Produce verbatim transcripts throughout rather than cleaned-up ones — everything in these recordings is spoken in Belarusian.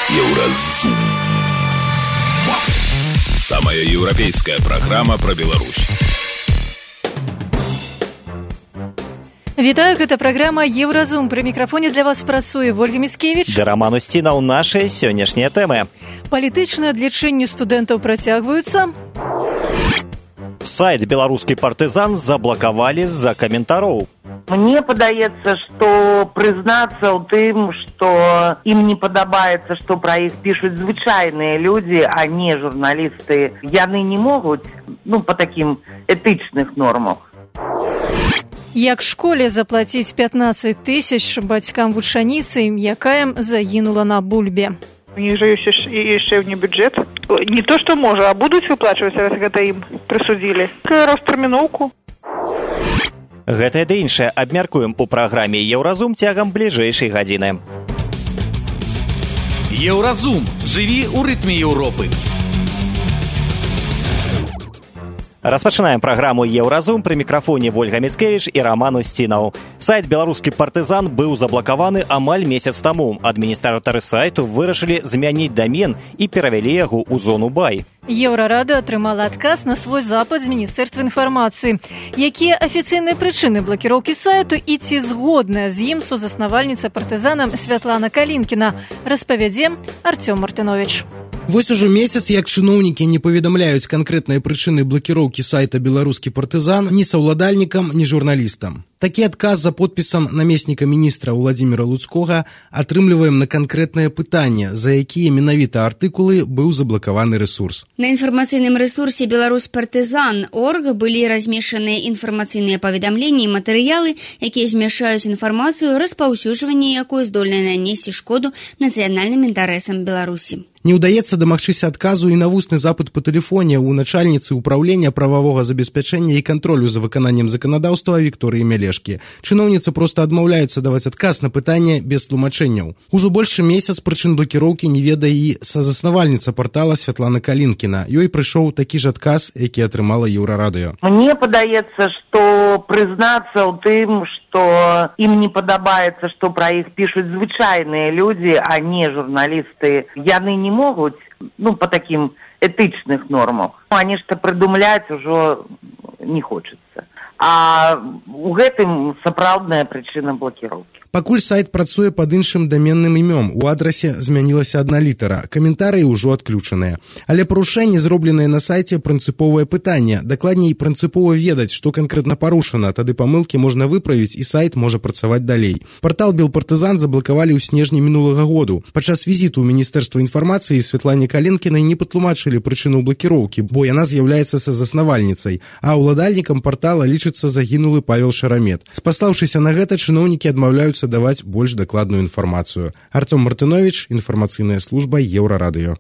Еўразум. Самая европейская программа про Беларусь. Вітаю, гэта праграма Еўразум. Пры мікрафоне для вас працуе Ольга Міцкевіч. Да Роман Устінаў. Нашыя сённяшнія тэмы. Палітычныя адлічэнні студэнтаў працягваюцца. Сайт «Беларускі партызан» заблакавалі з-за каментароў. Мне падаецца, што прызнацца ў тым, што ім не падабаецца, што пра іх пішуць звычайныя людзі, а не журналісты, яны не могуць, ну, па такім этычных нормах. Як школе заплаціць пятнаццаць тысяч бацькам вучаніцы, якая загінула на бульбе? У них же есть еще не бюджет. Не то, что может, а будут выплачивать, раз это им присудили. Розтэрміноўку. Гэтае ды іншае абмяркуем у праграме «Еўразум» цягам бліжэйшай гадзіны. Еўразум. Жыві ў рытме Еўропы. Распачынаем праграму «Еўразум». Пры мікрафоне Ольга Міцкевіч і Роман Устінаў. Сайт «Беларускі партызан» быў заблакаваны амаль месяц таму. Адміністратары сайту вырашылі змяніць дамен і перавялі яго ў зону бай. Еўрарада атрымала адказ на свой запыт з Міністэрства інфармацыі. Якія афіцыйныя прычыны блакіроўкі сайту і ці згодная з ім сузаснавальніца партызана Святлана Калінкіна, распавядзе Артём Мартынович. Вось ужо месяц, як чыноўнікі не паведамляюць канкрэтныя прычыны блакіроўкі сайта «Беларускі партызан» ні саўладальнікам, ні журналістам. Такі адказ за подпісам намесніка міністра Владзіміра Луцкога атрымліваем на канкрэтнае пытанне, за якія менавіта артыкулы быў заблакаваны рэсурс. На інфармацыйным рэсурсе «Беларусь партызан» точка орг былі размешчаныя інфармацыйныя паведамленні і матэрыялы, якія змяшаюць інфармацыю, распаўсюджванне якой здольнае нанесці шкоду нацыянальным інтарэсам Беларусі. Не ўдаецца дамагчыся адказу і на вусны запыт па тэлефоне ў начальніцы ўпраўлення прававога забеспячэння і кантролю за выкананнем заканадаўства Вікторыі Мялешкі. Чыноўніца проста адмаўляецца даваць адказ на пытанне без тлумачэнняў. Ужо большы месяц прычын блакіроўкі не ведае і сазаснавальніца партала Святлана Калінкіна. Ёй прыйшоў такі ж адказ, які атрымала Еўрарадыё. Мне падаецца, што прызнацца ў тым, што ім не падабаецца, што пра іх пішуць звычайныя людзі, а не журналісты, яны не могуць, ну, па такім этычных нормах. А нешта прыдумляць ужо не хочацца. А ў гэтым сапраўдная прычына блакіроўкі. Пакуль сайт працуе пад іншым даменным імём, у адрасе змянілася адна літара, каментарыі ўжо адключаныя. Але парушэнне, зробленае на сайце, прынцыповае пытанне. Дакладней, прынцыпова ведаць, што канкрэтна парушана, тады памылкі можна выправіць і сайт можа працаваць далей. Партал «Белпартызан» заблакавалі ў снежні мінулага году. Падчас візіту ў Міністэрства інфармацыі Святлане Калінкінай не патлумачылі прычыну блакіроўкі, бо яна з'яўляецца сазаснавальніцай, а ўладальнікам партала лічыцца загінулы Павел Шарамет. Спаслаўшыся на гэта, чыноўнікі адмаўляюцца даваць больш дакладную інфармацыю. Артём Мартынович, інфармацыйная служба Еўрарадыё.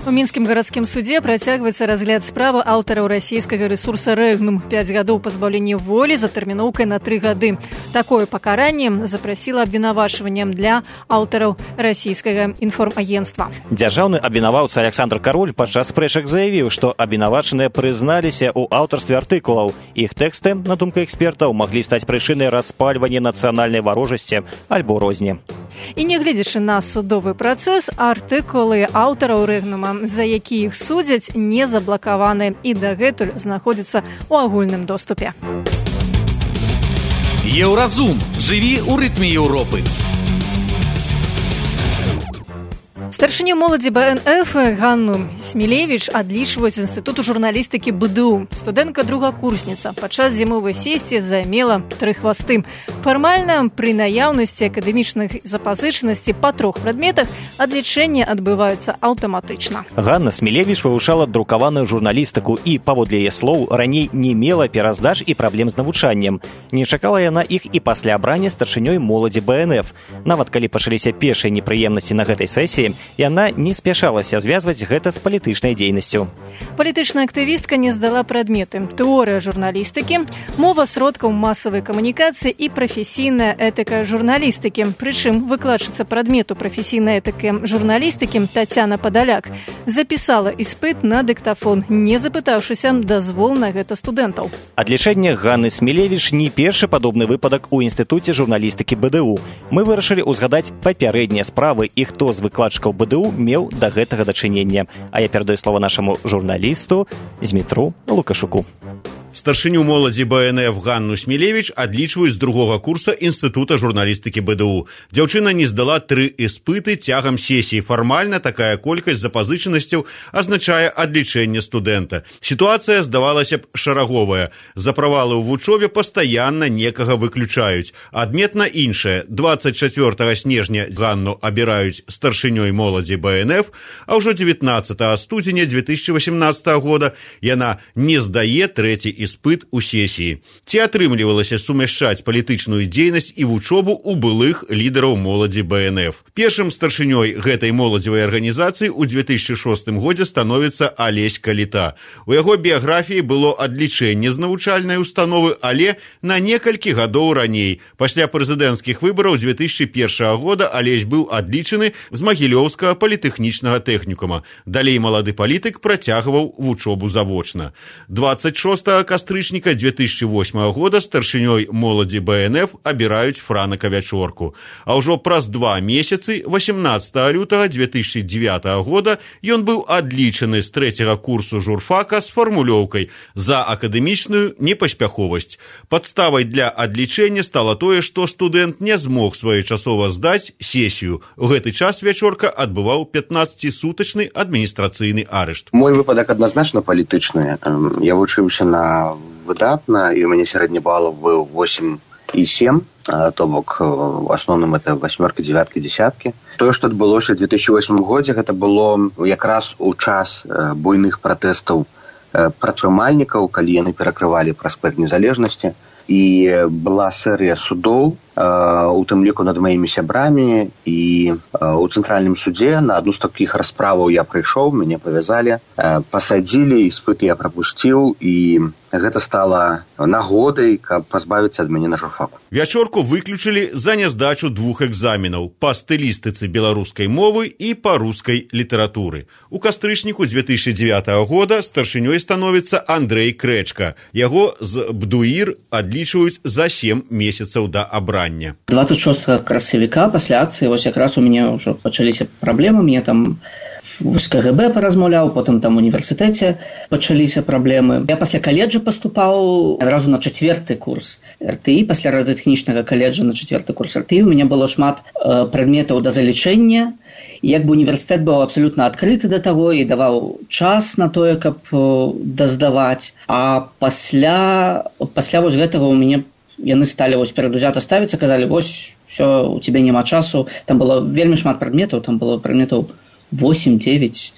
У мінскім гарадскім судзе працягваецца разгляд справы аўтараў расійскага рэсурса «Рэгнум». пяць гадоў пазбаўлення волі за тэрміноўкай на тры гады. Такое пакаранне запрасіла абвінавачваннем для аўтараў расійскага інформагенцтва. Дзяржаўны абвінаваўца Александр Кароль падчас спрэчак заявіў, што абвінавачаныя прызналіся ў аўтарстве артыкулаў. Іх тэксты, на думку экспертаў, маглі стаць прычынай распальвання нацыянальнай варожасці альбо розні. І нягледзячы на судовы працэс, артыкулы аўтараў «Рэгнума», за які іх судзяць, не заблакаваны і дагэтуль знаходзяцца ў агульным доступе. Еўразум. Жыві ў рытме Еўропы. Старшыню моладзі бэ эн эф Ганну Смілевіч адлічваюць з Інстытуту журналістыкі бэ дэ у. Студэнтка-другакурсніца падчас зімовай сесіі займела тры хвасты. Фармальна, пры наяўнасці акадэмічных запазычанасцей па трох прадметах адлічэнні адбываюцца аўтаматычна. Ганна Смілевіч вывучала друкаваную журналістыку і, паводле яе слоў, раней не мела пераздач і праблем з навучаннем. Не чакала яна іх і пасля абрання старшынёй моладзі бэ эн эф. Нават калі пачаліся першыя непрыемнасці на гэтай сесіі, яна не спяшалася звязваць гэта з палітычнай дзейнасцю. Палітычная актывістка не здала прадметы: тэорыя журналістыкі, мова сродкаў масавай камунікацыі і прафесійная этыка журналістыкі. Прычым выкладчыца прадмету прафесійнай этыкі журналістыкі Тацяна Падаляк запісала іспыт на дыктафон, не запытаўшыся дазвол на гэта студэнтаў. Адлічэнне Ганны Смілевіч не першы падобны выпадак у Інстытуце журналістыкі бэ дэ у. Мы вырашылі ўзгадаць папярэднія справы і хто з выкладчыкаў студэнтаў БДУ меў да гэтага дачынення. А я перадаю слова нашаму журналісту Змітру Лукашуку. Старшыню моладзі БНФ Ганну Смілевіч адлічваюць з другога курса Інстытута журналістыкі БДУ. Дзяўчына не здала тры іспыты цягам сесіі. Фармальна такая колькасць запазычанасцяў азначае адлічэнне студэнта. Сітуацыя здавалася б шараговая. За правалы ў вучобе пастаянна некага выключаюць. Адметна іншае. дваццаць чацвёртага снежня Ганну абіраюць старшынёй моладзі БНФ, а ўжо дзевятнаццатага студзеня две тысячи восемнадцатого года яна не здае трэці іспыт. Іспыт у сесіі. Ці атрымлівалася сумяшчаць палітычную дзейнасць і вучобу ў былых лідараў моладзі БНФ. Першым старшынёй гэтай моладзевай арганізацыі ў две тысячи шостым годзе становіцца Алесь Каліта. У яго біяграфіі было адлічэнне з навучальнай установы, але на некалькі гадоў раней. Пасля прэзідэнцкіх выбараў две тысячи першага года Алесь быў адлічаны з Магілёўскага політэхнічнага тэхнікума. Далей малады палітык працягваў вучобу завочна. дваццаць шостага кастрычніка две тысячи восьмага года старшынёй моладзі БНФ абіраюць Франака Вячорку. А ўжо праз два месяцы, восемнадцатага лютага две тысячи девятого года, ён быў адлічаны з трэцяга курсу журфака з фармулёўкай за акадэмічную непаспяховасць. Падставай для адлічэння стала тое, што студэнт не змог своечасова здаць сесію. У гэты час Вячорка адбываў пятнаццацісутачны адміністрацыйны арышт. Мой выпадак адназначна палітычны. Я вучыўся на выдатна, і у мяне сярэдні балаў быў восемь і сем, то бок в асноўным это восьмерка, девятка, десятки. Тое, што адбылося ў две тысячи восьмым годзе, гэта было якраз у час буйных пратэстаў прадпрымальнікаў, калі яны перакрывалі праспект незалежнасці, і была серыя судоў, у тым ліку над маімі сябрамі, і ў цэнтральным судзе на адну з такіх расправаў я прыйшоў, мяне павязалі, пасадзілі, іспыты я прапусціў, і гэта стала нагодай, каб пазбавіцца ад мяне на журфаку. Вячорку выключылі за няздачу двух экзаменаў па стылістыцы беларускай мовы і па рускай літаратуры. У кастрычніку две тысячи девятого года старшынёй становіцца Андрэй Крэчка. Яго з БДУІР адлічваюць за сем месяцаў да абрання. двадцать шостага красавіка пасля акцыі вось якраз у мяне ўжо пачаліся праблемы, мне там з КГБ паразмаўляў, потым там у універсітэце пачаліся праблемы. Я пасля каледжа паступаў адразу на чацвёрты курс РТІ, пасля радыётэхнічнага каледжа на чацвёрты курс РТІ. У мяне было шмат э, прадметаў да залічэння, і як бы універсітэт быў абсалютна адкрыты да таго і даваў час на тое, каб э, даздаваць. А пасля, пасля вось гэтага у мяне яны сталі вось перадузята ставіцца, казалі, вось, все, у цябе няма часу. Там было вельмі шмат прадметаў, там было прадметаў восемь девять,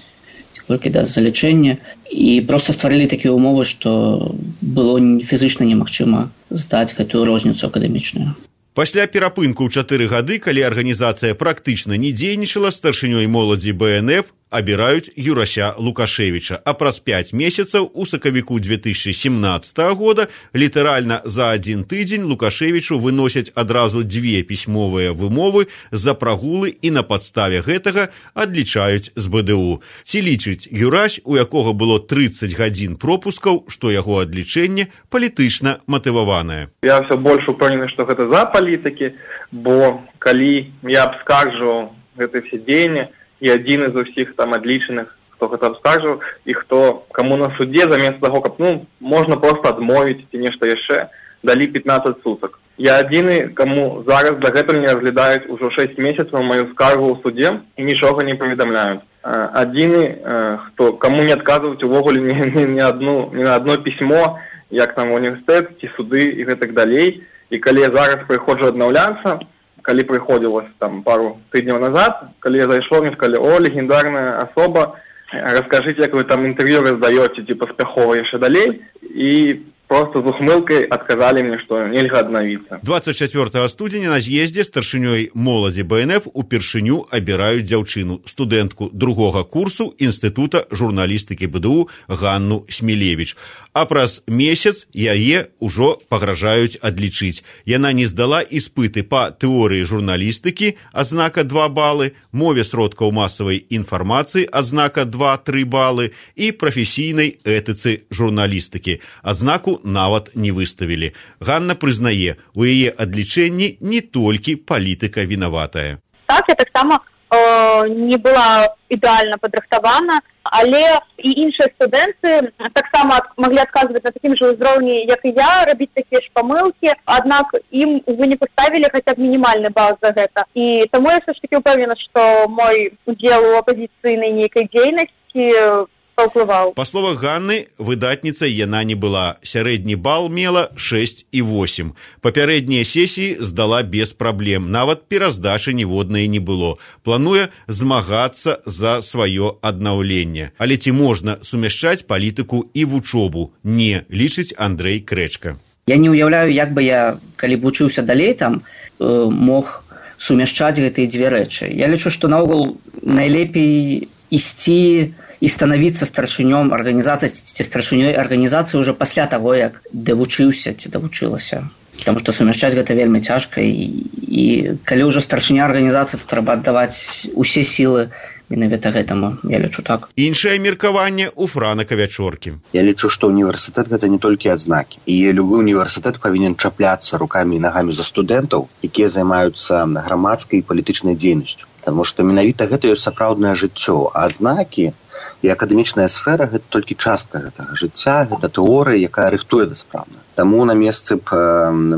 толькі да залічэння. І проста стварылі такія ўмовы, што было фізычна немагчыма здаць гэтую розніцу акадэмічную. Пасля перапынку ў чатыры гады, калі арганізацыя практычна не дзейнічала, старшынёй моладзі БНФ абіраюць Юрася Лукашевіча, а праз пяць месяцаў у сакавіку две тысячи семнадцатого года літаральна за адзін тыдзень Лукашевічу выносяць адразу дзве пісьмовыя вымовы за прагулы і на падставе гэтага адлічаюць з БДУ. Ці лічыць Юрась, у якога было тридцать гадзін пропускаў, што яго адлічэнне палітычна матываванае? Я все больш упэўнены, што гэта за палітыкі, бо калі я абскарджваў гэтыя все дзеянні, і адзін з усіх там адлічаных, хто гэта абскаржыў, і хто, каму на судзе, замест таго, каб, ну, можна проста адмовіць ці нешта яшчэ, далі пятнадцать сутак. Я адзіны, каму зараз дагэтуль не разглядаюць ужо шэсць месяцаў маю скаргу ў судзе і нічога не паведамляюць. Адзіны, хто, каму не адказваюць увогуле ні, ні, ні, адну, ні на адно пісьмо, як там універсітэт, ці суды і гэтак далей. І калі я зараз прыходжу аднаўляцца, калі прыходзілася там пару тыдняў назад, калі я зайшоў, мне сказалі, о, легендарная асоба, раскажыце, як вы там інтэрв'ю раздаёце, ці паспяхова яшчэ далей, і просто з ухмылкай адказалі мне, што нельга аднавіцца. двадцать чацвёртага студзеня на з'ездзе старшынёй моладзі БНФ упершыню абіраюць дзяўчыну, студэнтку другога курсу Інстытута журналістыкі БДУ Ганну Смілевіч. А праз месяц яе ўжо пагражаюць адлічыць. Яна не здала іспыты па тэорыі журналістыкі, адзнака два балы, мове сродкаў масавай інфармацыі, адзнака два-тры балы, і прафесійнай этыцы журналістыкі, адзнаку нават не выставілі. Ганна прызнае, у яе адлічэнні не толькі палітыка вінаватая. Так, я таксама э, не была ідэальна падрыхтавана, але і іншыя студэнты таксама маглі адказваць на такім жа ўзроўні, як і я, рабіць такія ж памылкі, аднак ім у выніку ставілі хаця б мінімальны бал за гэта. І таму я ўсё ж такі ўпэўнена, што мой удзел у апазіцыйнай нейкай дзейнасці паўплываў. Па словах Ганны, выдатніцай яна не была. Сярэдні бал мела шэсць і восем. Папярэднія сесіі здала без праблем. Нават пераздачы ніводнай не было. Плануе змагацца за сваё аднаўленне. Але ці можна сумяшчаць палітыку і вучобу? Не, лічыць Андрэй Крэчка. Я не ўяўляю, як бы я, калі б вучыўся далей там, мог сумяшчаць гэтыя дзве рэчы. Я лічу, што наогул найлепей ісці і станавіцца старшынём арганізацыі ці старшынёй арганізацыі ўжо пасля таго, як давучыўся ці давучылася. Таму што сумяшчаць гэта вельмі цяжка, і, і калі ўжо старшыня арганізацыі, то трэба аддаваць усе сілы менавіта гэтаму, я лічу так. Іншае меркаванне ў Франака Вячоркі. Я лічу, што універсітэт гэта не толькі адзнакі. І любы універсітэт павінен чапляцца рукамі і нагамі за студэнтаў, якія займаюцца грамадскай і палітычнай дзейнасцю. Таму што менавіта гэта ёсць сапраўднае жыццё, а адзнакі і акадэмічная сфера гэта толькі частка гэтага жыцця, гэта тэорыя, якая рыхтуе да справы. Таму на месцы б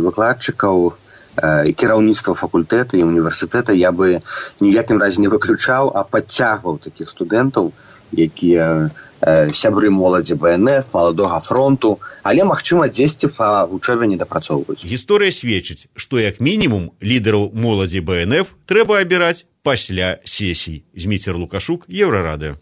выкладчыкаў і кіраўніцтва факультэта і універсітэта я бы ніякім разе не выключаў, а падцягваў такіх студэнтаў, якія сябры моладзі бэ эн эф, маладога фронту, але, магчыма, дзесьці па вучобе не дапрацоўваюць. Гісторыя сведчыць, што як мінімум лідараў моладзі бэ эн эф трэба абіраць пасля сесій. Зміцер Лукашук, Еўрарадыё.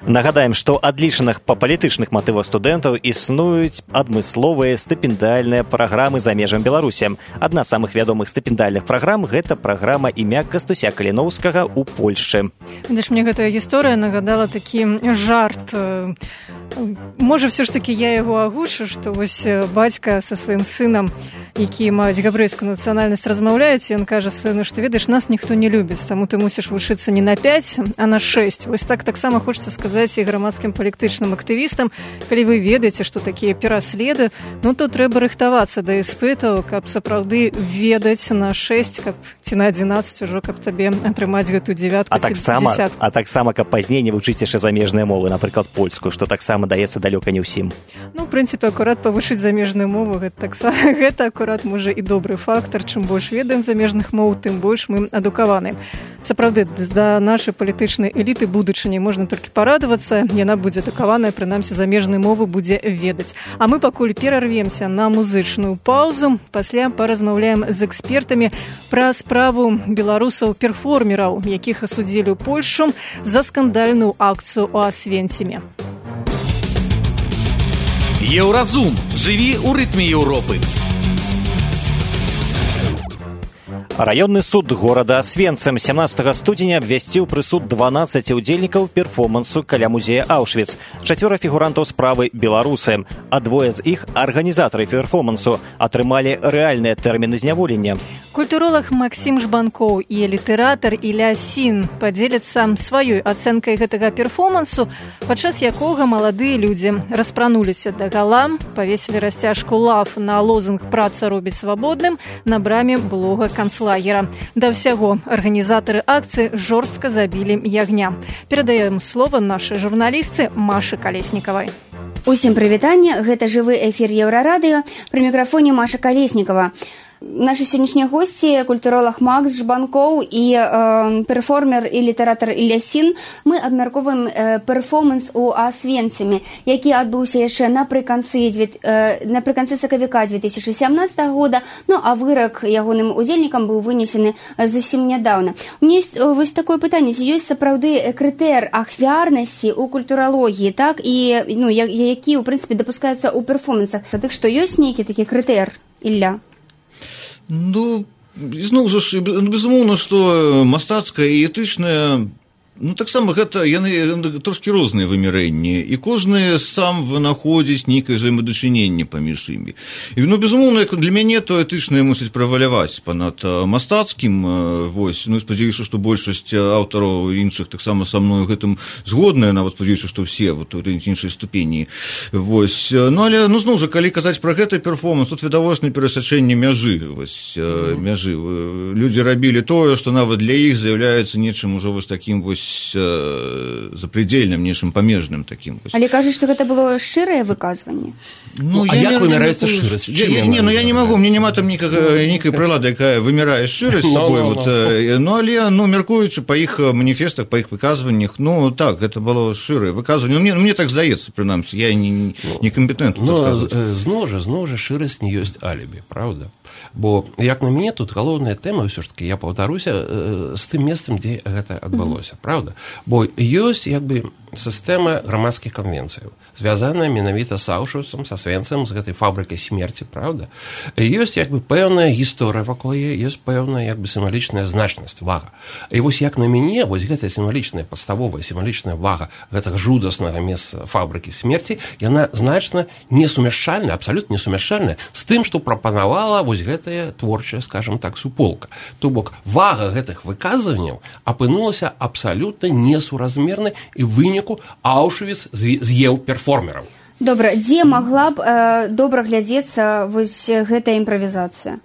Нагадаем, што адлічаных па палітычных матывах студэнтаў існуюць адмысловыя стыпендыяльныя праграмы за межам Беларусі. Адна з самых вядомых стыпендыяльных праграм – гэта праграма імя Кастуся Каліноўскага ў Польшчы. Ведаеш, мне гэтая гісторыя нагадала такі жарт. Можа, все ж таки я яго агучу, што вось бацька са сваім сынам, які маюць габрэйскую нацыянальнасць, размаўляюць, і ён кажа сыну, што ведаеш, нас ніхто не любіць, таму ты мусіш вучыцца не на пяць, а на шэсць. Вось так таксама хочацца сказаць і грамадскім палітычным актывістам, калі вы ведаеце, што такія пераследы, ну то трэба рыхтавацца да іспытаў, каб сапраўды ведаць на шэсць, каб ці на адзінаццаць ужо, каб табе атрымаць гэту дзявятку ці дзесятку. А таксама, каб пазней не вучыць яшчэ замежныя мовы, напрыклад, польскую, што таксама даецца далёка не ўсім. Ну, в прынцыпе, акурат павучыць замежную мову, гэта таксама, гэта акурат можа і добры фактар. Чым больш ведаем замежных моў, тым больш мы адукаваны. Сапраўды, да нашай палітычнай эліты будучыні можна толькі парадавацца, яна будзе адукаваная, прынамсі замежнай мовы будзе ведаць. А мы пакуль перарвемся на музычную паўзу, пасля паразмаўляем з экспертамі пра справу беларусаў-перформераў, якіх асудзілі ў Польшчу за скандальную акцыю ў Асвенциме. Еўразум. Жыві ў рытме Еўропы. Раённы суд горада Асвенцим сямнадцатага студзеня абвясціў прысуд дванаццаці ўдзельнікаў перформансу каля музея Аўшвіц. Чацвёра фігурантаў справы беларусы, а двое з іх, арганізатары перформансу, атрымалі рэальныя тэрміны зняволення. Культуролог Максім Жбанкоў і літаратар Ілля Сін падзеляцца сваёй ацэнкай гэтага перформансу, падчас якога маладыя людзі распрануліся дагала, павесілі расцяжку лав на лозунг «Праца робіць свабодным» на браме блога канцлагера. Да ўсяго, арганізатары акцыі жорстка забілі ягня. Перадаем слова нашай журналістцы Машы Калеснікавай. Усім прывітанне, гэта жывы эфір Еўрарадыё, пры мікрафоне Маша Калеснікава. Нашы сённяшнія госці, культуролог Макс Жбанкоў і э, перформер і літаратар Ілля Сін, мы абмярковаем э, перформанс у Асвенциме, які адбыўся яшчэ напрыканцы, э, напрыканцы сакавіка две тысячи сямнадцатага года, ну а вырак ягоным удзельнікам быў вынесены зусім нядаўна. У меня есть вось такое пытанне, ці ёсць сапраўды крытэр ахвярнасці ў культуралогіі, так, і ну, які, ў прынцыпе, дапускаецца ў перформансах. Дык што ёсць нейкі такі крытэр, Ілля? Ну, зноў жа, безумоўна, што мастацкая і этычная Ну, таксама гэта яны трошкі розныя вымярэнні, і кожны сам вынаходзіць нейкае взаемадачыненне паміж імі. І, ну, безумоўна, для мяне то этычнае мусіць праваляваць панад мастацкім, вось, ну, спадзяюся, што большасць аўтараў іншых таксама са мною гэтым згодныя, нават спадзяюся, што все вот у іншай ступені. Вось, ну, але, ну, зноў жа, калі казаць пра гэты перформанс, тут відавочна перасячэнне мяжы, вось, mm-hmm. мяжы. Людзі рабілі тое, што нават для іх з'яўляецца нечым ужо вось такім вось запредельным, нечым памежным таким. Але кажуць, што гэта было шчырае выказванне? Ну, а як вымяраецца шчырасць? Не, ну я не магу, мне няма там нейкай прылады, якая вымярае шчырасць сабой, вот, ну, але, ну, мяркуючы па іх маніфестах, па іх выказваннях, ну, так, гэта было шчырае выказванне. Мне, мне так здаецца, прынамсі, я не, не кампетэнтны. Ну, зноў жа, зноў жа, шчырасць не ёсць алібі, правда? Бо, як на мяне, тут галоўная тэма, ўсё ж таки, я паўтаруся, з тым месцам, дзе гэта адбылося, правда? Бо ёсць, як бы, сістэма грамадскіх канвенцыяў, звязаная менавіта з Аўшвіцам, са Свенцам, з гэтай фабрыкай смерці, правда? Ёсць, як бы, пэўная гісторыя вакол яе, ёсць пэўная, як бы, сімвалічная значнасць, вага. І вось, як на мяне, вось гэтая сімвалічная, падставовая сімвалічная вага гэтага жудаснага месца фабрыкі смерці, яна значна несумяшчальная, абсалютна несумяшчальная з тым, што прапанавала вось гэтая творчая, скажем так, суполка. То бок, вага гэтых выказванняў апынулася абсалютна несуразмернай і выніку Аўшвіц з'еў перформераў. Добра, дзе магла б э, добра глядзецца вось гэтая імправізацыя?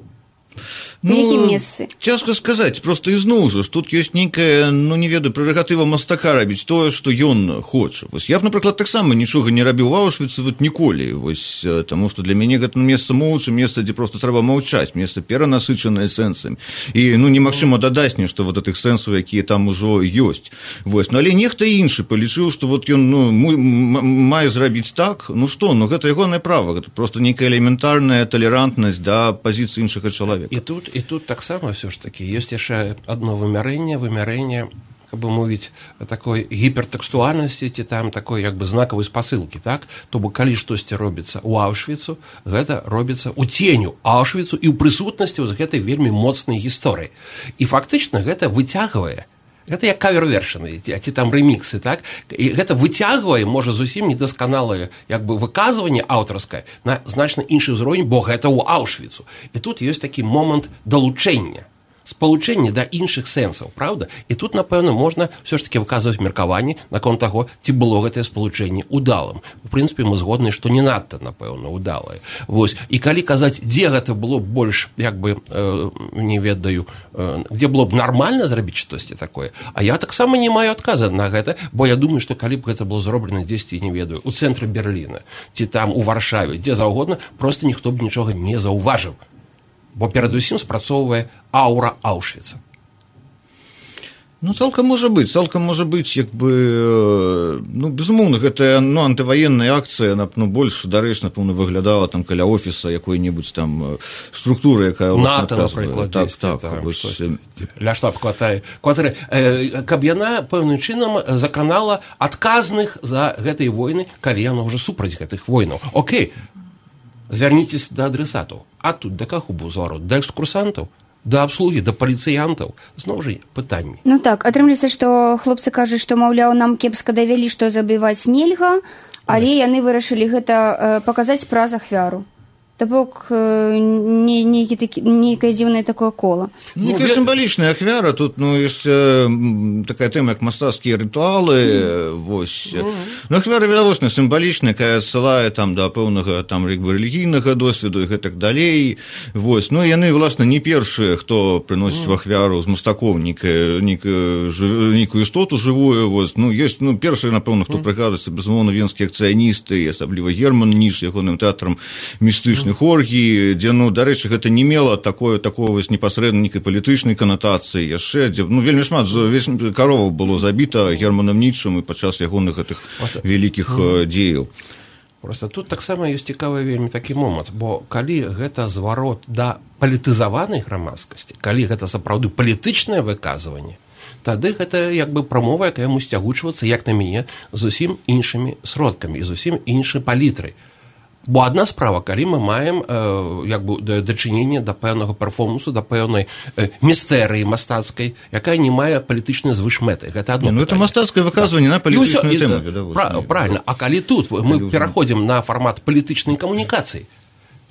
Ну, в якім месцы? Цяжка сказаць, просто ізноў жа, тут ёсць нейкая, ну, не ведаю, прэрагатыва мастака рабіць тое, што ён хоча. Вось я б, напрыклад, таксама нічога не рабіў у Аўшвіцы вот ніколі, вось, таму што для мяне гэта месца моўча, месца, дзе проста трэба маўчаць, месца перанасычанае сэнсамі. І, ну, немагчыма дадаць нешта вот гэтых сэнсаў, якія там ужо ёсць. Вось, ну, але нехта іншы палічыў, што вот ён, ну, мае зрабіць так, ну што, ну, гэта ягонае права, гэта проста нейкая элементарная талерантнасць да пазіцыі іншага чалавека. І тут І тут таксама ўсё ж такі ёсць яшчэ адно вымярэнне, вымярэнне, как бы мовіць, такой гіпертэкстуальнасці ці там такой як бы знакавай спасылкі, так? То бок калі штосьці робіцца ў Аўшвіцу, гэта робіцца ў ценю Аўшвіцу і ў прысутнасці з гэтай вельмі моцнай гісторыі. І фактычна гэта выцягвае. Гэта як кавер-вершыны, ці там рэміксы, так? І гэта выцягвае, можа, зусім недасканалае як бы выказванне аўтарскае на значна іншы ўзровень, бо гэта ў Аўшвіцу. І тут ёсць такі момант далучэння, спалучэння да іншых сэнсаў, правда? І тут, напэўна, можна ўсё ж такі выказваць меркаванне наконт таго, ці было гэтае спалучэнне удалым. У прынцыпе, мы згодныя, што не надта, напэўна, удалае. Вось. І калі казаць, дзе гэта было больш, як бы, э, не ведаю, э, дзе было б нармальна зрабіць штосьці такое, а я таксама не маю адказа на гэта, бо я думаю, што калі б гэта было зроблена дзесьці, не ведаю, у цэнтры Берліна, ці там у Варшаве, дзе заўгодна, проста ніхто б нічога не заўважыў. Бо перадусім спрацоўвае аўра Аўшвіца. Ну, цалкам можа быць, цалкам можа быць, як бы, ну, безумоўна, гэтая, ну, антываенная акцыя, ну, больш дарэчна, напэўна, выглядала там каля офіса якой-небудзь там структуры, якая ў нас НАТО, напрыклад, так, дзесьці, так, так, вось, ля штаб-кватэры, э, каб яна пэўным чынам закранала адказных за гэтай войны, калі яна ўжо супраць гэтых войнаў. Окей, звярніцеся да адресатаў. А тут да каго быў зварот? Да экскурсантаў? Да абслугі, да паліцыянтаў? Зноў жа пытанні. Ну так, атрымліваецца, што хлопцы кажуць, што, маўляў, нам кепска давялі, што забіваць нельга, але яны вырашылі гэта паказаць праз ахвяру. То бок нейкае дзіўнае такое кола. Нейкая сімвалічная ахвяра, тут, ну, ёсць такая тэма, як мастацкія рытуалы, вось. Ну, ахвяра відавочна сімвалічная, якая адсылае там да пэўнага там рэлігійнага досведу і гэтак далей, вось. Ну, яны, власна, не першыя, хто прыносіць в ахвяру з мастакоў нейкую істоту жывую, вось. Ну, ёсць, ну, першыя, напэўна, хто прыгадваецца, безумоўна, венскія акцыяністы, асабліва Герман Ніш, ягоным тэатрам містычных оргій, дзе, ну, дарэчы, гэта не мела такое, такое вось непасрэдна нейкай палітычнай канатацыі, яшчэ, дзе, ну, вельмі шмат кароваў было забіта Германам Нічам і падчас ягоных гэтых вялікіх дзеяў. Просто тут таксама ёсць цікавы вельмі такі момант, бо калі гэта зварот да палітызаванай грамадскасці, калі гэта сапраўды палітычнае выказванне, тады гэта як бы прамова, якая мусіць агучвацца, як на мяне, зусім іншымі сродкамі і зусім іншай палітрай. Бо адна справа, калі мы маем э, як бы дачыненне да пэўнага перформансу, да пэўнай э, містэрыі мастацкай, якая не мае палітычнай звышмэты. Гэта адно. Ну, это мастацкае выказванне на палітычную тэму. Пра, правильно. А калі тут мы пераходзім на фармат палітычнай камунікацыі,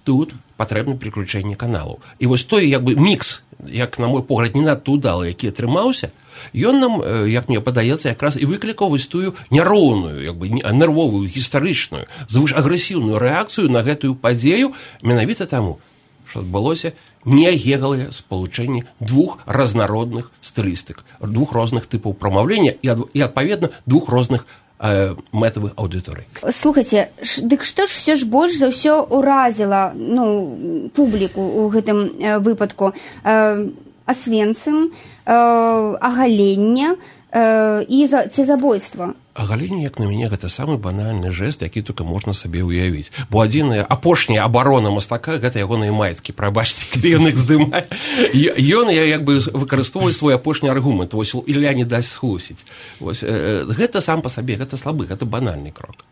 тут патрэбна пераключэнне каналаў. І вось той як бы мікс, як на мой погляд, не надта ўдалы, які атрымаўся, ён нам, як мне падаецца, якраз і выклікаў вось тую няроўную, як бы нервовую, гістарычную, звышагрэсіўную рэакцыю на гэтую падзею, менавіта таму, што адбылося неагегалае спалучэнне двух разнародных стылістык, двух розных тыпаў прамаўлення і, і адпаведна, двух розных э, мэтавых аўдыторый. Слухайце, дык што ж все ж больш за ўсё уразіла, ну, публіку ў гэтым э, выпадку? Э, Освенцим, э, оголення э, і за, ці забойства. Агаленне, як на мяне, гэта самы банальны жэст, які толькі можна сабе ўявіць. Бо адзіная апошняя абарона мастака гэта ягоныя маеткі, прабачце, калі ён іх здымае. Ён як бы выкарыстоўвае свой апошні аргумент, вось Ілля не дасць схлусіць. Вось э, гэта сам па сабе, гэта слабы, гэта банальны крок.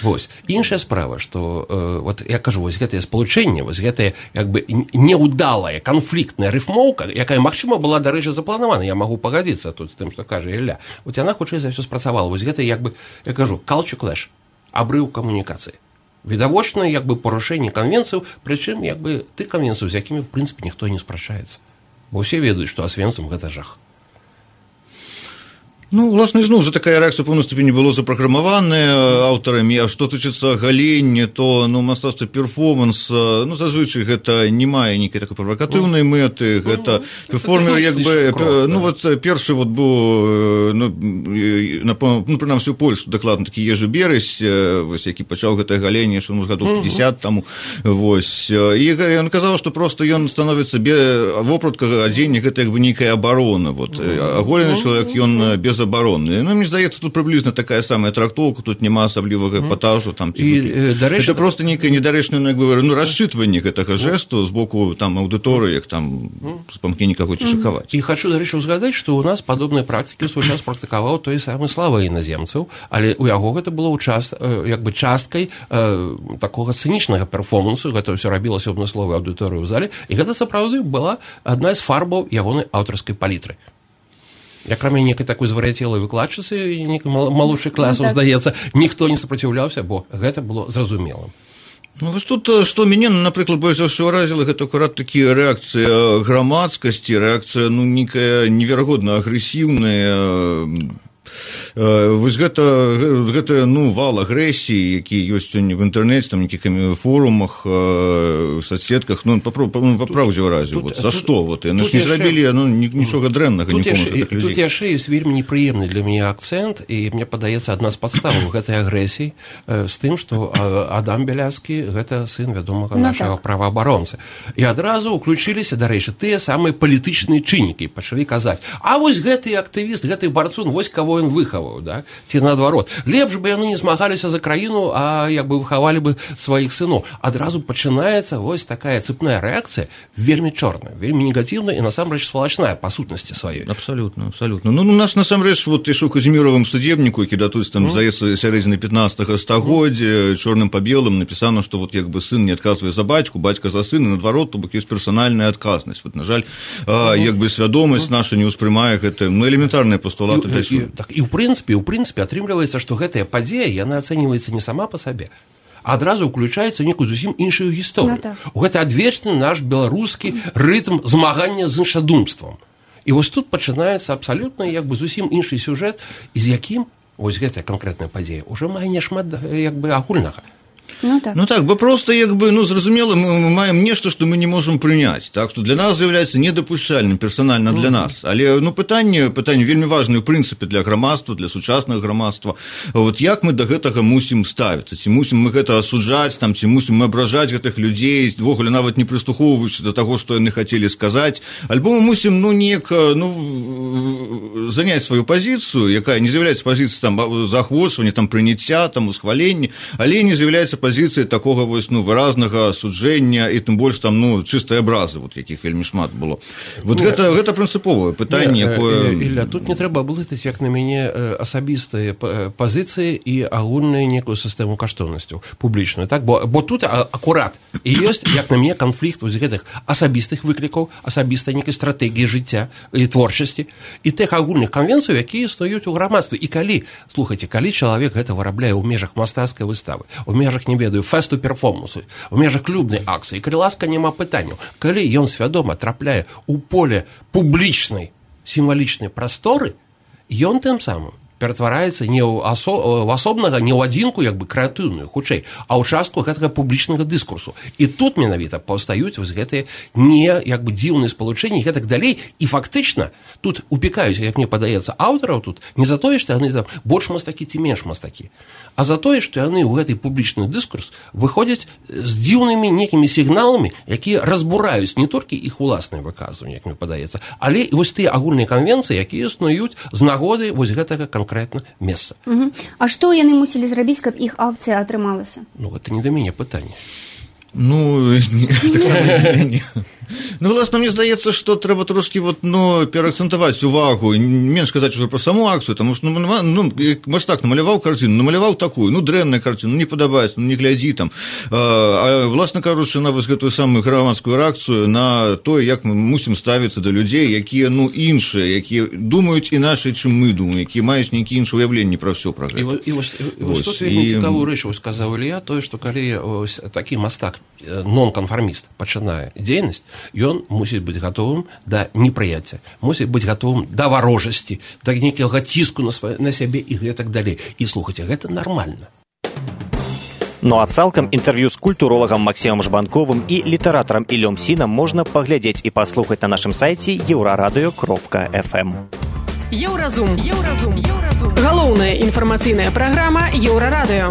Вось. Іншая справа, што, э, вот я кажу, вось гэтае спалучэнне, вось гэтая як бы неўдалая, канфліктная рыфмоўка, якая, магчыма, была, дарэчы, запланавана, я магу пагадзіцца тут з тым, што кажа Ілля. Вот яна хутчэй за ўсё спрацавала. Вось гэта, як бы, я кажу, culture clash, абрыў камунікацыі. Відавочна, як бы, парушэнне канвенцыяў, прычым, як бы, ты канвенцыяў, з якімі, в прынцыпе, ніхто не спрачаецца. Бо ўсе ведаюць, што Освенцим гэта жах. Ну, власне, зноў жа такая рэакцыя пэўнай ступені было запраграмаваная аўтарамі, а што тычыцца галення, то, ну, мастацтва перформанс, ну, зазвычай гэта не мае нейкай такой правакатыўнай мэты, гэта перформер, як бы, ну, вот, першы вот быў, ну, ну, прынамсі ў Польску дакладна такі Ежы Бересь, вось, які пачаў гэтае галенне, што, ну, з гадоў пятьдесят таму, вось, і ён казаў, што проста ён становіцца вопратка адзення, гэта як бы нейкая абарона, вот, аголены чалавек, ён без оборонные. Ну, мне здаецца, тут приблизно такая самая трактовка, тут няма асаблівага эпатажу, там, і, дарэчы, это просто некое недарэчнае, ну, расчытванне гэтага жэсту з боку, там, аўдыторыі, там, з памкнення кагосьці шакаваць. І хочу, дарэчы, узгадаць, што у нас падобныя практыкі ў свой час практыкаваў той самы Слава іназемцаў, але ў яго гэта было ўчас, як бы, часткай э, такога цынічнага перформансу, гэта ўсё рабілася ў адмысловай аўдыторыі ў зале, і гэта, сапраўды, была адна з фарбаў ягонай аўтарскай палітры. Як кроме некай такой звар'яцелай выкладчыцы, малодшых класаў, ну, здаецца, ніхто не супраціўляўся, бо гэта было зразумелым. Ну, вось тут, што мяне, напрыклад, больш за ўсё ўразіла, гэта акурат такія рэакцыя грамадскасці, рэакцыя, ну, нейкая неверагодна агрэсіўная. Вось гэта, гэта, ну, вал агрэсіі, які ёсць сёння в інтэрнэце, там, нейкіх форумах, соцсетках, ну, па праўдзе ўразіў. Вот, за што? Вот, яны ж не зрабілі, ну, нічога дрэннага нікому з гэтых людзей. Тут яшчэ ёсць вельмі непрыемны для мяне акцэнт, і мне падаецца, адна з падставаў гэтай агрэсіі з тым, што Адам Бяляцкі – гэта сын вядомага нашага праваабаронцы. І адразу ўключыліся, дарэчы, тыя самыя палітычныя чыннікі, пачалі казаць, а вось гэты актывіст, гэты барцун, вось каго ён выхаваў, да? Ці наадварот. Лепш бы яны не змагаліся за краіну, а як бы выхавалі бы сваіх сыноў. Адразу пачынаецца вось такая цепная рэакцыя, вельмі чорная, вельмі негатыўная і насамрэч свалачная па сутнасці сваёй. Абсалютна, абсалютна. Ну, у нас насамрэч вот ішоў Казіміровым судебніку, які датуецца там, здаецца, сярэдзіны пятнадцатага стагоддзя, чорным па белым напісана, што вот як бы сын не адказвае за бацьку, бацька за сына, наадварот, то бок ёсць персанальная адказнасць. Вот, на жаль, а, як бы свядомасць наша не ўспрымае гэта, ну, элементарныя пастулаты для суду. Так, і ў прынцыпе, ў прынцыпе атрымліваецца, што гэтая падзея, яна ацэньваецца не сама па сабе, а адразу ўключаецца некую зусім іншую гісторыю. Ну, так. Гэта адвечны наш беларускі рытм змагання з іншадумствам. І вось тут пачынаецца абсалютна як бы зусім іншы сюжэт, і з якім вось гэтая канкрэтная падзея ўжо мае няшмат як бы агульнага. Ну так. Ну так, бо просто як бы, ну, зразумела, мы маем нешта, што мы не можам прыняць. Так што для нас з'яўляецца недапушчальным персанальна для нас. Але, ну, пытанне, пытанне вельмі важнае ў прынцыпе для грамадства, для сучаснага грамадства. Вот як мы да гэтага мусім ставіцца? Ці мусім мы гэта асуджаць, там, ці мусім мы абражаць гэтых людзей, ввогуле нават не прыслухоўваючыся да таго, што яны хацелі сказаць, альбо мы мусім, ну, неяк, ну, заняць сваю пазіцыю, якая не з'яўляецца пазіцыяй там заахвочвання, там прыняцця, там усхвалення, але не з'яўляецца пазіцыі такога вось ну выразнага асуджэння і тым больш там ну чыстай абразы, вот якіх вельмі шмат было. Вот не, гэта гэта прынцыповае пытанне, якое Ілля, тут не трэба блытаць, як на мяне, асабістыя пазіцыі і агульную некую сістэму каштоўнасцяў публічную, так, бо бо тут акурат і ёсць, як на мяне, канфлікт вось гэтых асабістых выклікаў, асабістай некай стратэгіі жыцця і творчасці і тых агульных канвенцый, якія існуюць у грамадстве. І калі, слухайце, калі чалавек гэта вырабляе ў межах мастацкай выставы, у межах, не ведаю, фэсту перформансу, у межах клубнай акцыі, калі ласка, няма пытанняў, калі ён свядома трапляе ў поле публічнай сімвалічнай прасторы, ён тым самым ператвараецца не ў асо... асобнага, не ў адзінку, як бы крэатыўную, хутчэй, а ў частку гэтага публічнага дыскурсу. І тут менавіта паўстаюць вось гэтыя не як бы дзіўныя спалучэнні і гэтак далей, і фактычна тут упікаюць, як мне падаецца, аўтараў тут не за тое, што яны там больш мастакі ці менш мастакі, а за тое, што яны ў гэты публічны дыскурс выходзяць з дзіўнымі некімі сігналамі, якія разбураюць не толькі іх уласныя выказванні, як мне падаецца, але і вось тыя агульныя канвенцыі, якія існуюць з нагоды вось гэтага канкрэтна месца. Угу. А што яны мусілі зрабіць, каб іх акцыя атрымалася? Ну, гэта не да мяне пытанне. Ну, так само для мяне. Ну, власне, мне здаецца, што трэба трошкі вот, ну, пераакцэнтаваць увагу, менш казаць уже пра саму акцыю, таму што, ну, ну мастак намаляваў карціну, намаляваў такую, ну, дрэнная карціна, ну, не падабаецца, ну, не глядзі там. А, власна кажучы, на вось гэтую самую грамадскую рэакцыю на тое, як мы мусім ставіцца да людзей, якія, ну, іншыя, якія думаюць іначай, чым мы думаем, якія маюць нейкія іншыя ўяўленні пра ўсё пра гэта. І вось тут вельмі цікавую рэч сказаў Ілля, тое, што калі такі мастак, нон-канфарміст пачынае дзейнасць, ён мусіць быць гатовым да непрыяцця, мусіць быць гатовым да варожасці, да нейкага ціску на, свае, на сябе і гэтак далей. І слухайце, гэта нармальна. Ну а цалкам інтэрв'ю з культуролагам Максімам Жбанковым і літаратарам Іллём Сінам можна паглядзець і паслухаць на нашым сайце еўрарадыё кропка эф эм. Еўразум. Еўразум. Еўразум. Галоўная інфармацыйная праграма Еўрарадыё.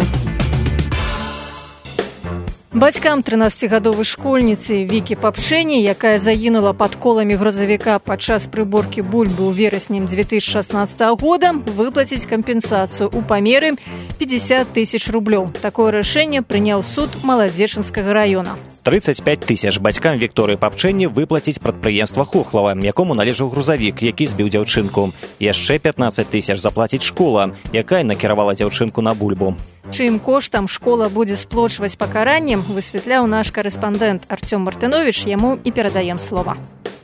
Бацькам трынаццацігадовай школьніцы Вікі Папчэні, якая загінула пад коламі грузавіка падчас прыборкі бульбы ў верасні дзве тысячы шаснаццатага года, выплаціць кампенсацыю ў памеры пятьдесят тысяч рублёў. Такое рашэнне прыняў суд Маладзечынскага раёна. тридцать пять тысяч бацькам Вікторыі Папчэні выплаціць прадпрыемства Хохлава, якому належаў грузавік, які збіў дзяўчынку. Яшчэ пятнадцать тысяч заплаціць школа, якая накіравала дзяўчынку на бульбу. Чым коштам школа будзе сплочваць пакараннем, высвятляў наш карэспандэнт Артём Мартыновіч, яму і перадаем слова.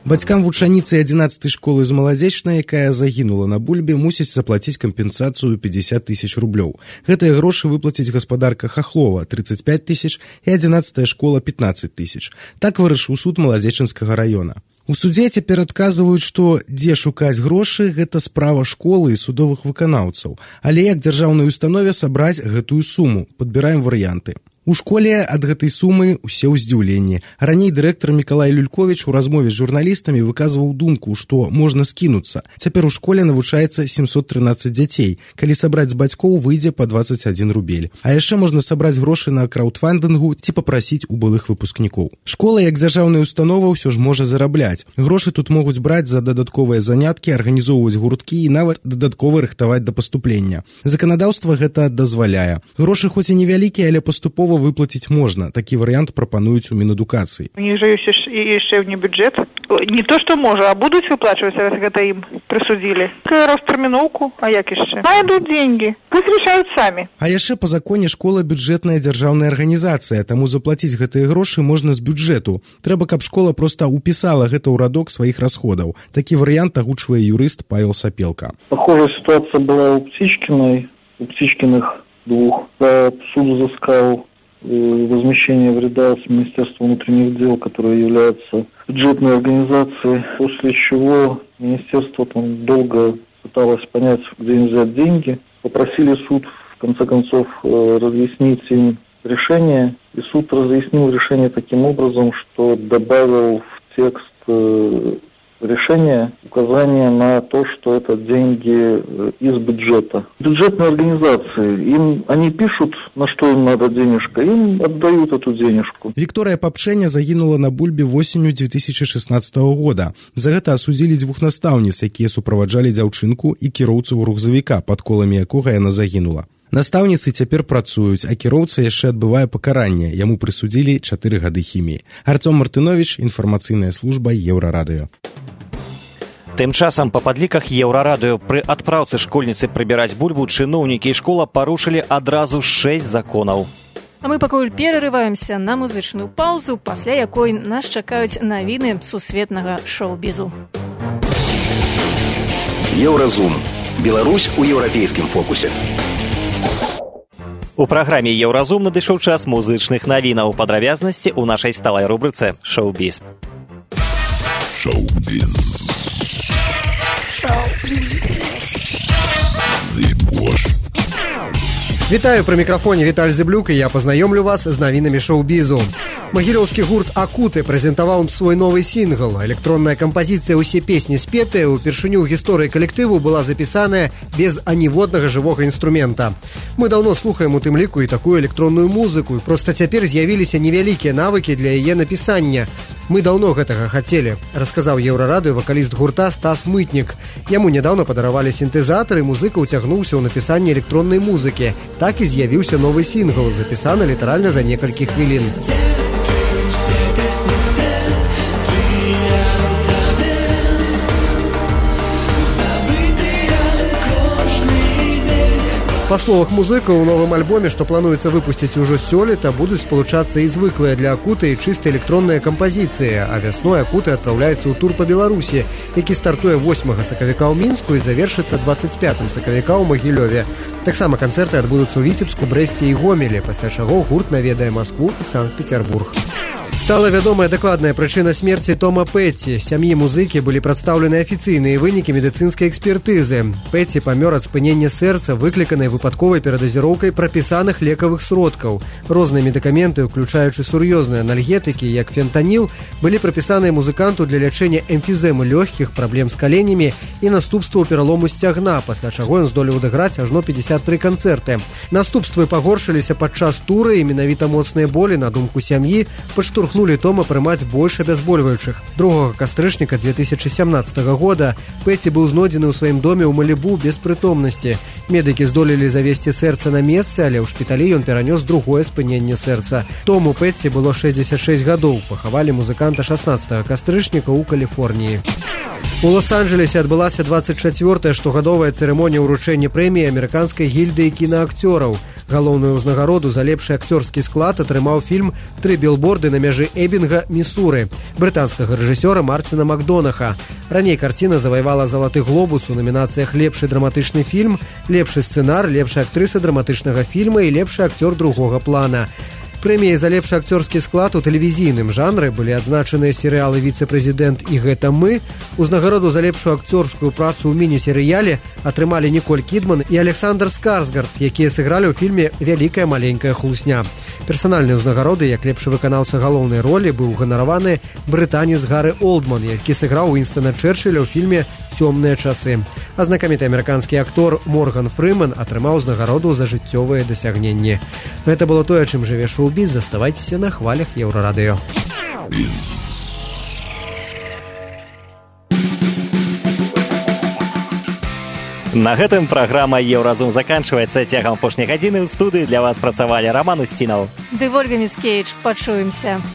Бацькам вучаніцы адзінаццатай школы з Маладзечнай, якая загінула на бульбе, мусіць заплаціць кампенсацыю пятьдесят тысяч рублёў. Гэтыя грошы выплаціць гаспадарка Хохлова тридцать пять тысяч і адзінаццатая школа пятнадцать тысяч. Так вырашыў суд Маладзечынскага раёна. У судзе цяпер адказваюць, што дзе шукаць грошы, гэта справа школы і судовых выканаўцаў. Але як дзяржаўнай установе сабраць гэтую суму? Падбіраем варыянты. У школе ад гэтай сумы ўсе ў здзіўленні. Раней дырэктар Мікалай Люльковіч у размове з журналістамі выказваў думку, што можна скінуцца. Цяпер у школе навучаецца семьсот тринадцать дзяцей. Калі сабраць з бацькоў, выйдзе па двадцать один рубель. А яшчэ можна сабраць грошы на краўдфандынгу ці папрасіць у былых выпускнікоў. Школа, як дзяржаўная установа, ўсё ж можа зарабляць. Грошы тут могуць браць за дадатковыя заняткі, арганізоўваць гурткі і нават дадаткова рыхтаваць да паступлення. Заканадаўства гэта дазваляе. Грошы хоць і невялікія, але паступова выплаціць можна. Такі варыянт прапануюць у Мінадукацыі. У них же ёсць яшчэ вне бюджет. Не то, што можа, а будуць выплачваць, раз гэта ім прысудзілі. Ростэрміноўку, а як яшчэ? Найдут деньги. Пусть решают самі. А яшчэ па законе школа бюджэтная дзяржаўная арганізацыя, таму заплаціць гэтыя грошы можна з бюджэту. Трэба, каб школа проста упісала гэта ў радок сваіх расходаў. Такі варыянт агучвае юрыст Павел Сапелка. Похожая ситуация была у Птичкиной, у Птичкиных двух. Суд взыскал возмещение вреда с Министерства внутренних дел, которое является бюджетной организацией, после чего министерство там долго пыталось понять, где им взять деньги. Попросили суд, в конце концов, разъяснить им решение, и суд разъяснил решение таким образом, что добавил в текст решение указание на то, что это деньги из бюджета. Бюджетные организации, им, они пишут, на что им надо денежка, им отдают эту денежку. Виктория Папчэня загинула на бульбе восенню две тысячи шестнадцатого года. За гэта асудзілі двух настаўніц, якія суправаджалі дзяўчынку і кіроўцу грузавіка, пад коламі якога яна загінула. Настаўніцы цяпер працуюць, а кіроўца яшчэ адбывае пакаранне. Яму прысудзілі чатыры гады хіміі. Арцём Мартынович, інфармацыйная служба Еўрарадыё. Тым часам па падліках Еўрарадыё пры адпраўцы школьніцы прыбіраць бульбу чыноўнікі і школа парушылі адразу шэсць законаў. А мы пакуль перарываемся на музычную паўзу, пасля якой нас чакаюць навіны сусветнага шоу-бізу. Еўразум. Беларусь у еўрапейскім фокусе. У праграме Еўразум надышоў час музычных навінаў. Падрабязнасці ў нашай сталай рубрыцы «Шоу-біз». Шоу-біз. Вітаю, пры мікрафоне Віталь Зыблюк, і я пазнаёмлю вас з навінамі шоу-бізу. Магілёўскі гурт «Акуты» прэзентаваў свой новы сінгл. Электронная кампазіцыя «Усе песні спетыя» упершыню ў гісторыі калектыву была запісаная без аніводнага жывога інструмента. Мы даўно слухаем у тым ліку і такую электронную музыку, проста цяпер з'явіліся невялікія навыкі для яе напісання. Мы даўно гэтага хацелі, расказаў Еўрарадыё вакаліст гурта Стас Мытнік. Яму нядаўна падаравалі сінтэзатар, і музыка ўцягнуўся ў напісанне электроннай музыкі. Так і з'явіўся новы сінгл, запісаны літаральна за некалькі хвілін. Па словах музыкаў, у новым альбоме, што плануецца выпусціць ужо сёлета, будуць спалучацца і звыклыя для Акуты і чыста электронныя кампазіцыі, а вясной Акуты адпраўляецца ў тур па Беларусі, які стартуе восьмага сакавіка ў Мінску і завершыцца дваццаць пятага сакавіка ў Магілёве. Таксама канцэрты адбудуцца ў Віцебску, Брэсце і Гомелі, пасля чаго гурт наведае Маскву і Санкт-Петербург. Стала вядомая дакладная прычына смерці Тома Петці. Сям'і музыкі былі прадстаўлены афіцыйныя вынікі медыцынскай экспертызы. Петці памёр ад спынення сэрца, выкліканай выпадковай перадазіроўкай прапісаных лекавых сродкаў. Розныя медыкаменты, уключаючы сур'ёзныя анальгетыкі, як фентаніл, былі прапісаныя музыканту для лячэння эмфізэмы лёгкіх, праблем з каленямі і наступстваў пералому сцягна, пасля чаго ён здолеў адыграць ажно пятьдесят тры канцэрты. Наступствы пагоршыліся падчас туры, і менавіта моцныя болі, на думку сям'і, падштурхнулі Тома прымаць больш абязбольваючых. другога кастрычніка две тысячи сямнадцатага года Петці быў знойдзены ў сваім доме ў Малібу без прытомнасці. Медыкі здолелі завесці сэрца на месцы, але ў шпіталі ён перанёс другое спыненне сэрца. Тому Петці было шэсцьдзесят шэсць гадоў. Пахавалі музыканта шаснаццатага кастрычніка ў Каліфорніі. У Лос-Анджелесе адбылася двадцать чацвёртая штогадовая цырымонія ўручэння прэміі амерыканскай гільдыі кінаакцёраў. Галоўную ўзнагароду за лепшы акцёрскі склад атрымаў фільм «Тры білборды на мяжы Эбінга, Місуры» брытанскага рэжысёра Марціна Макдонаха. Раней карціна заваявала залаты глобус у намінацыях «Лепшы драматычны фільм», «Лепшы сцэнар», «Лепшы актрыса драматычнага фільма» і «Лепшы акцёр другога плана». Прэміяй за лепшы акцёрскі склад у тэлевізійным жанры былі адзначаныя серыялы «Віцэ-прэзідэнт» і «Гэта мы». Узнагароду за лепшую акцёрскую працу ў міні-серыяле атрымалі Ніколь Кідман і Александр Скарсгард, якія сыгралі ў фільме «Вялікая маленькая хлусня». Персанальныя ўзнагароды, як лепшы выканаўца галоўнай ролі, быў ганараваны брытанец Гары Олдман, які сыграў Уінстана Чэрчылля ў фільме «Цёмныя часы». А знакаміты амерыканскі актор Морган Фрыман атрымаў узнагароду за жыццёвыя дасягненні. Гэта было тое, чым жыве шоу-біз. Заставайцеся на хвалях Еўрарадыё. На гэтым праграма «Еўразум» заканчваецца. Цягам апошняй гадзіны ў студыі для вас працавалі Роман Устінаў ды Вольга Міскевіч. Пачуемся.